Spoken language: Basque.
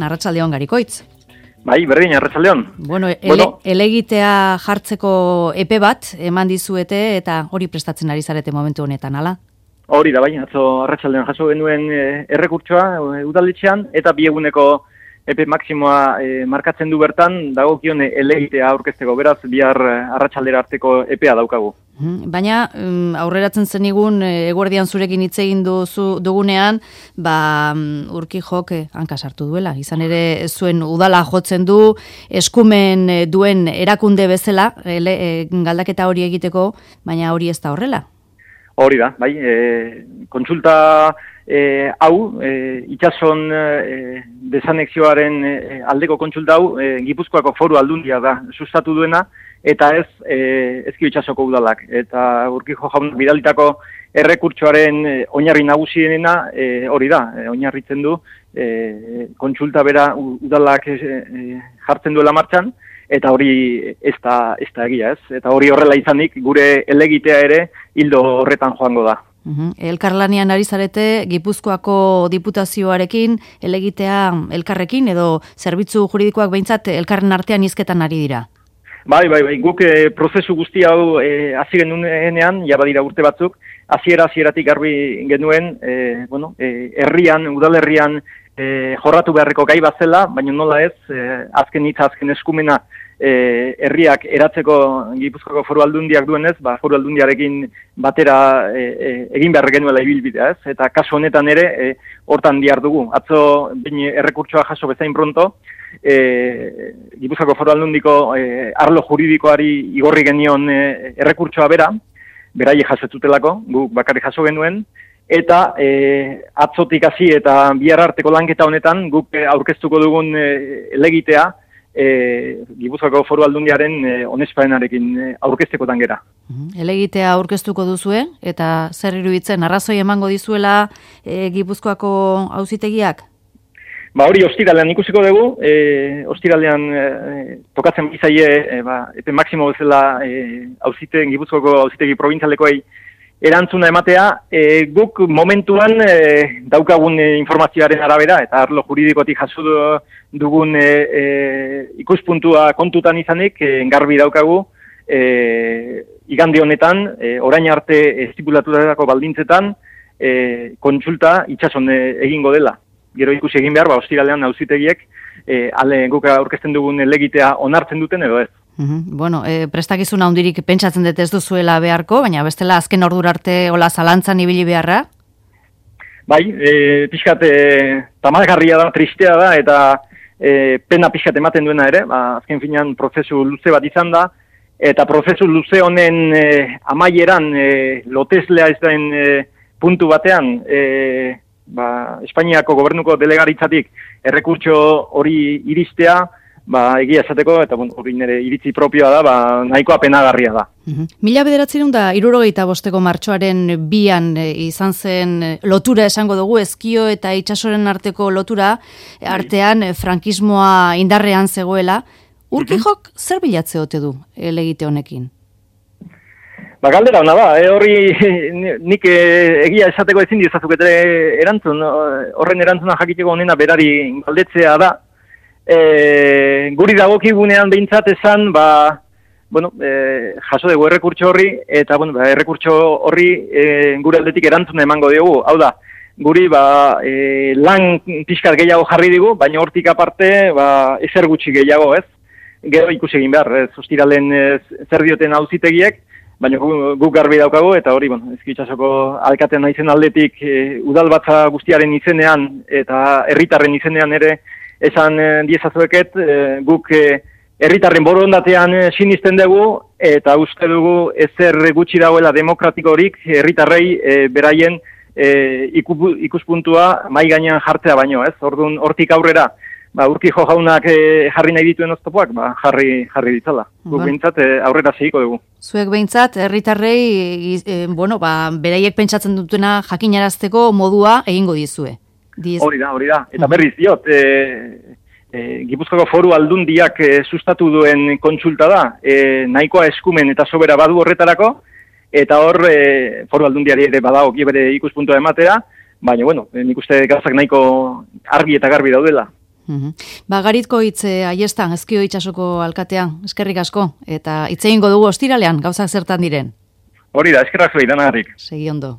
Arratsaldeon Garikoitz. Bai, berdin, arratsaldeon. Elegitea jartzeko epe bat eman dizuete eta hori prestatzen ari zarete momentu honetan, ala? Hori da, bai, atzo arratsaldeon jaso genuen errekurtsoa udaletxean eta bi eguneko epe maksimoa markatzen du bertan, dagokion elegitea aurkezteko, beraz bihar arratsaldera arteko epea daukagu. Baina aurreratzen zenigun eguerdian zurekin hitz egin dugunean, Urquijok hanka sartu duela. Izan ere zuen udala jotzen du, eskumen duen erakunde bezala, galdaketa hori egiteko, baina hori ez da horrela. Hori da, bai, kontsulta hau, itsason desanexioaren aldeko kontsulta hau, Gipuzkoako Foru Aldundia da sustatu duena, eta ez Ezkio itsasoko udalak. Eta Urquijo jaunak bidalitako errekurtsoaren oinarri nagusiena hori da, oinarritzen du kontsulta bera udalak jartzen duela martxan, eta hori ez da egia, ez? Eta hori horrela izanik gure elegitea ere hildo horretan joango da. Elkarlanean ari zarete Gipuzkoako diputazioarekin, elegitea elkarrekin edo zerbitzu juridikoak behintzat elkarren artean hizketan ari dira? Bai, guk prozesu guzti hau hasi genuenean, ja badira urte batzuk, hasieratik garbi genuen, herrian, udalerrian jorratu beharreko gai bat zela, baina nola ez, azken eskumena herriak eratzeko Gipuzkoako Foru Aldundiak duenez, Foru Aldundiarekin batera egin behar genuela ibilbidea, ez? Eta kasu honetan ere, hortan dihar dugu. Atzo errekurtsoa jaso bezain pronto, Gipuzkoako Foru Aldundiko arlo juridikoari igorri genion errekurtsoa beraiek jasotutelako, guk bakarrik jaso genuen, eta atzotik hasi eta bihar arteko lanketa honetan guk aurkeztuko dugun elegitea Gipuzkoako Foru Aldundiaren onespenarekin aurkeztekotan gera. Elegitea aurkeztuko duzue eta zer iruditzen arrazoi emango dizuela Gipuzkoako auzitegiak? Hori ostiralean ikusiko dugu, ostiralean tokatzen bizaie epe maksimo bezala Gipuzkoako auzitegi probintzialekoei erantzuna ematea, guk momentuan daukagun informazioaren arabera eta arlo juridikotik jaso dugun ikuspuntua kontutan izanik, garbi daukagu, igande honetan, orain arte estipulaturatako baldintzetan, kontsulta itsason egingo dela. Gero ikusi egin behar, ostiralean auzitegiek guk aurkezten dugun elegitea onartzen duten edo ez. Prestakizuna handirik pentsatzen dut ez duzuela beharko, baina bestela azken ordura arte hola zalantzan ibili beharra? Bai, pixkat tamalgarria da, tristea da, eta pena pixkat ematen duena ere, azken finean prozesu luze bat izan da, eta prozesu luze honen amaieran loteslea ez den puntu batean, Espainiako gobernuko delegaritzatik errekurtso hori iristea, egia esateko, eta hori nire iritzi propioa da, nahikoa penagarria da. 1975 martxoaren 2an izan zen lotura esango dugu, Ezkio eta itsasoren arteko lotura, artean frankismoa indarrean zegoela. Urquijok zer bilatze ote du elegite honekin? Galdera hona da, hori nik egia esateko ezin dizazukete erantzun, horren erantzuna jakiteko honena berari galdetzea da. Guri dagokigunean behintzat esan, jaso dugu errekurtso horri, eta errekurtso horri gure aldetik erantzuna emango diogu. Hau da, guri lan pixkat gehiago jarri digu, baina hortik aparte ezer gutxi gehiago, ez? Gero ikusi egin behar, ostiralen zer dioten auzitegiek, baina guk garbi daukagu, eta hori, Ezkio itsasoko alkatean naizen aldetik udalbatza guztiaren izenean eta herritarren izenean ere esan diezazueket, guk herritarren borondatean sinisten dugu, eta uste dugu ezer gutxi dagoela demokratikorik herritarrei beraien ikuspuntua mai gainean jartzea baino, ez? Orduan hortik aurrera, Urquijo jaunak jarri nahi dituen oztopoak, jarri ditzala. Guk behintzat aurrera segiko dugu. Zuek behintzat, herritarrei, beraiek pentsatzen dutena jakinarazteko modua egingo dizue. Hori da. Eta berriz diot, Gipuzkoako Foru Aldundiak sustatu duen kontsulta da, nahikoa eskumen eta sobera badu horretarako, eta hor Foru Aldundiari ere badagoki bere ikuspuntua ematea, baina, nik uste gauzak nahiko argi eta garbi daudela. Garitko hitz Aiestan, Ezkio itsasoko alkatea, eskerrik asko, eta hitz egingo dugu ostiralean, gauzak zertan diren. Hori da, eskerrak zuei, danagarrik. Segi ondo.